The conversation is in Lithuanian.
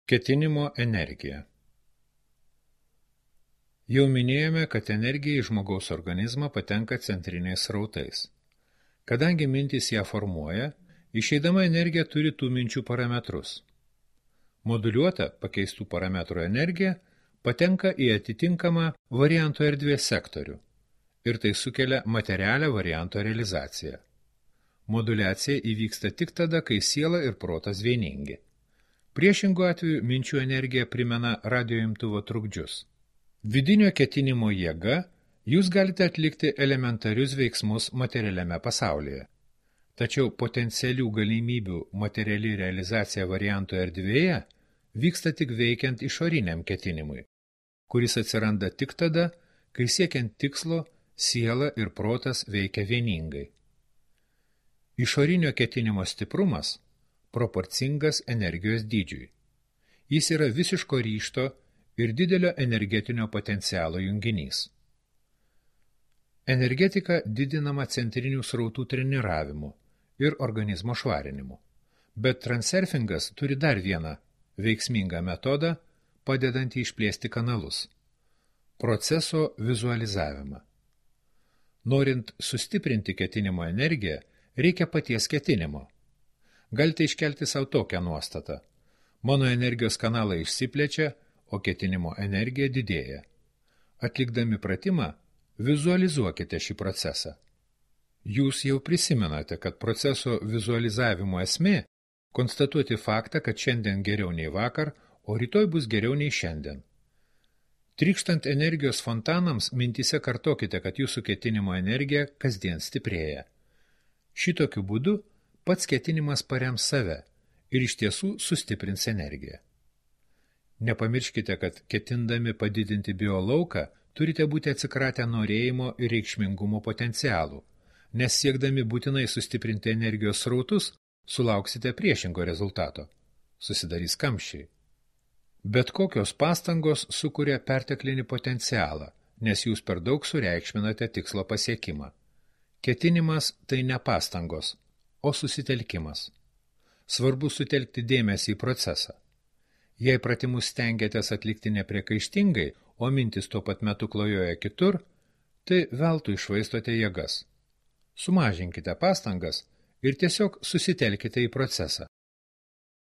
Ketinimo energija. Jau minėjome, kad energija į žmogaus organizmą patenka centriniais srautais. Kadangi mintys ją formuoja, išeidama energija turi tų minčių parametrus. Moduliuota pakeistų parametrų energija patenka į atitinkamą varianto erdvės sektorių ir tai sukelia materialią varianto realizaciją. Moduliacija įvyksta tik tada, kai siela ir protas vieningi. Priešingų atveju minčių energija primena radioimtuvo trukdžius. Vidinio ketinimo jėga jūs galite atlikti elementarius veiksmus materialiame pasaulyje. Tačiau potencialių galimybių materiali realizacija varianto erdvėje vyksta tik veikiant išoriniam ketinimui, kuris atsiranda tik tada, kai siekiant tikslo siela ir protas veikia vieningai. Išorinio ketinimo stiprumas proporcingas energijos dydžiui. Jis yra visiško ryžto ir didelio energetinio potencialo junginys. Energetika didinama centrinių srautų treniravimu ir organizmo švarinimu. Bet transurfingas turi dar vieną veiksmingą metodą, padedantį išplėsti kanalus – proceso vizualizavimą. Norint sustiprinti ketinimo energiją, reikia paties ketinimo. Galite iškelti savo tokią nuostatą. Mano energijos kanalai išsiplečia, o ketinimo energija didėja. Atlikdami pratimą, vizualizuokite šį procesą. Jūs jau prisimenate, kad proceso vizualizavimo esmė – konstatuoti faktą, kad šiandien geriau nei vakar, o rytoj bus geriau nei šiandien. Trykštant energijos fontanams, mintyse kartokite, kad jūsų ketinimo energija kasdien stiprėja. Šitokiu būdu pats ketinimas parems save ir iš tiesų sustiprins energiją. Nepamirškite, kad ketindami padidinti biolauką, turite būti atsikratę norėjimo ir reikšmingumo potencialų, nes siekdami būtinai sustiprinti energijos srautus, sulauksite priešingo rezultato – susidarys kamščiai. Bet kokios pastangos sukuria perteklinį potencialą, nes jūs per daug sureikšminate tikslo pasiekimą. Ketinimas tai ne pastangos, o susitelkimas. Svarbu sutelkti dėmesį į procesą. Jei pratimus stengiatės atlikti nepriekaištingai, o mintis tuo pat metu klajoja kitur, tai veltui iššvaistote jėgas. Sumažinkite pastangas ir tiesiog susitelkite į procesą.